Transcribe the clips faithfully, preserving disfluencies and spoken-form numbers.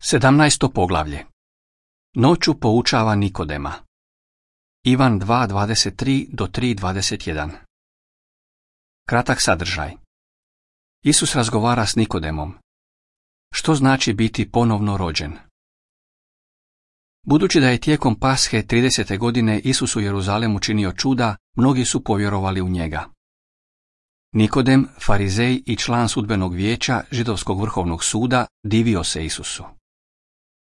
Sedamnaesto poglavlje. Noću poučava Nikodema. Ivan dva dvadeset tri do tri dvadeset jedan. Kratak sadržaj. Isus razgovara s Nikodemom. Što znači biti ponovno rođen? Budući da je tijekom Pashe tridesete godine Isus u Jeruzalemu činio čuda, mnogi su povjerovali u njega. Nikodem, farizej i član sudbenog vijeća Židovskog vrhovnog suda, divio se Isusu.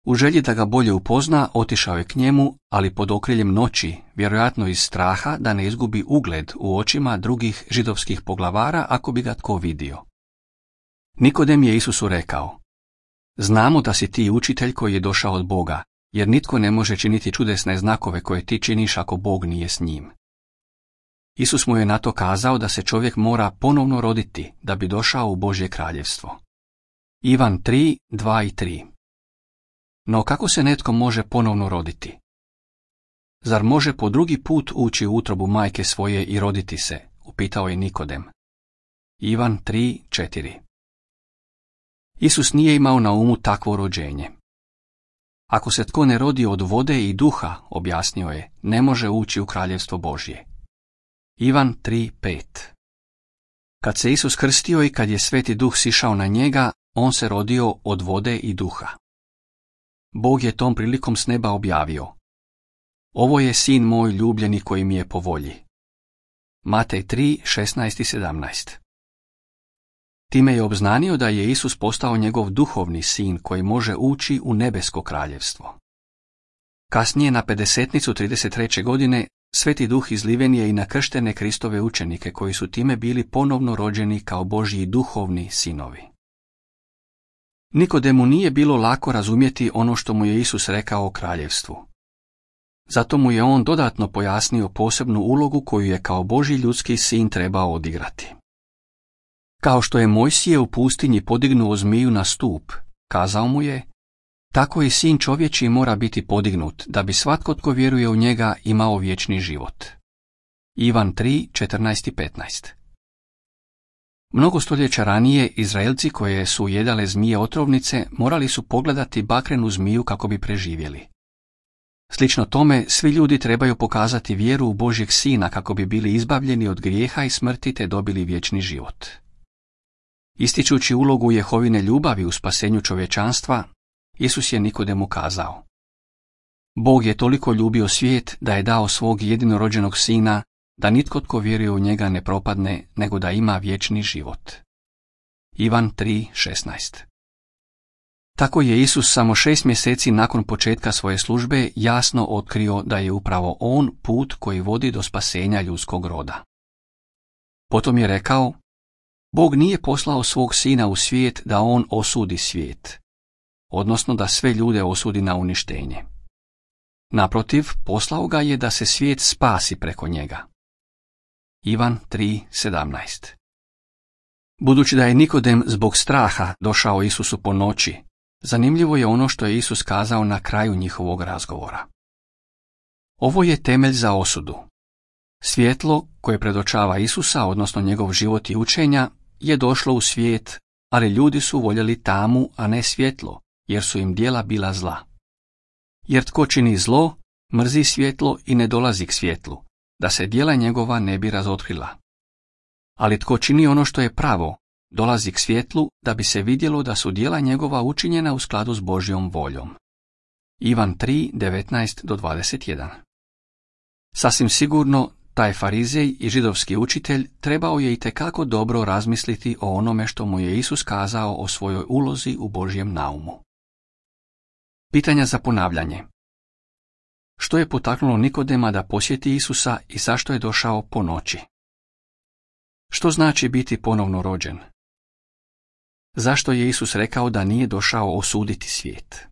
U želji da ga bolje upozna, otišao je k njemu, ali pod okriljem noći, vjerojatno iz straha da ne izgubi ugled u očima drugih židovskih poglavara ako bi ga tko vidio. Nikodem je Isusu rekao: Znamo da si ti učitelj koji je došao od Boga, jer nitko ne može činiti čudesne znakove koje ti činiš ako Bog nije s njim. Isus mu je na to kazao da se čovjek mora ponovno roditi da bi došao u Božje kraljevstvo. Ivan tri, dva i tri. No kako se netko može ponovno roditi? Zar može po drugi put ući u utrobu majke svoje i roditi se? Upitao je Nikodem. Ivan tri, četiri. Isus nije imao na umu takvo rođenje. Ako se tko ne rodi od vode i duha, objasnio je, ne može ući u kraljevstvo Božje. Ivan tri, pet. Kad se Isus krstio i kad je Sveti Duh sišao na njega, on se rodio od vode i duha. Bog je tom prilikom s neba objavio: Ovo je sin moj ljubljeni koji mi je po volji. Matej tri, šesnaest i sedamnaest. Time je obznanio da je Isus postao njegov duhovni sin koji može ući u nebesko kraljevstvo. Kasnije na pedesetnicu trideset treće godine Sveti Duh izliven je i na krštene Kristove učenike koji su time bili ponovno rođeni kao Božji duhovni sinovi. Nikodemu nije bilo lako razumjeti ono što mu je Isus rekao o kraljevstvu. Zato mu je on dodatno pojasnio posebnu ulogu koju je kao Božji ljudski sin trebao odigrati. Kao što je Mojsije u pustinji podignuo zmiju na stup, kazao mu je, tako i sin čovječji mora biti podignut, da bi svatko tko vjeruje u njega imao vječni život. Ivan tri, četrnaest i petnaest. Mnogo stoljeća ranije Izraelci koje su jedale zmije otrovnice morali su pogledati bakrenu zmiju kako bi preživjeli. Slično tome, svi ljudi trebaju pokazati vjeru u Božjeg sina kako bi bili izbavljeni od grijeha i smrti te dobili vječni život. Ističući ulogu Jehovine ljubavi u spasenju čovječanstva, Isus je Nikodemu kazao: Bog je toliko ljubio svijet da je dao svog jedinorođenog sina, da nitko tko vjeruje u njega ne propadne, nego da ima vječni život. Ivan tri, šesnaest. Tako je Isus samo šest mjeseci nakon početka svoje službe jasno otkrio da je upravo on put koji vodi do spasenja ljudskog roda. Potom je rekao: Bog nije poslao svog sina u svijet da on osudi svijet, odnosno da sve ljude osudi na uništenje. Naprotiv, poslao ga je da se svijet spasi preko njega. Ivan tri, sedamnaest. Budući da je Nikodem zbog straha došao Isusu po noći, zanimljivo je ono što je Isus kazao na kraju njihovog razgovora. Ovo je temelj za osudu. Svjetlo koje predočava Isusa, odnosno njegov život i učenja, je došlo u svijet, ali ljudi su voljeli tamu, a ne svjetlo, jer su im djela bila zla. Jer tko čini zlo, mrzi svjetlo i ne dolazi k svjetlu, da se djela njegova ne bi razotkrila. Ali tko čini ono što je pravo, dolazi k svjetlu, da bi se vidjelo da su djela njegova učinjena u skladu s Božjom voljom. Ivan tri, devetnaest do dvadeset jedan. Sasvim sigurno, taj farizej i židovski učitelj trebao je itekako dobro razmisliti o onome što mu je Isus kazao o svojoj ulozi u Božjem naumu. Pitanja za ponavljanje. Što je potaknulo Nikodema da posjeti Isusa i zašto je došao po noći? Što znači biti ponovno rođen? Zašto je Isus rekao da nije došao osuditi svijet?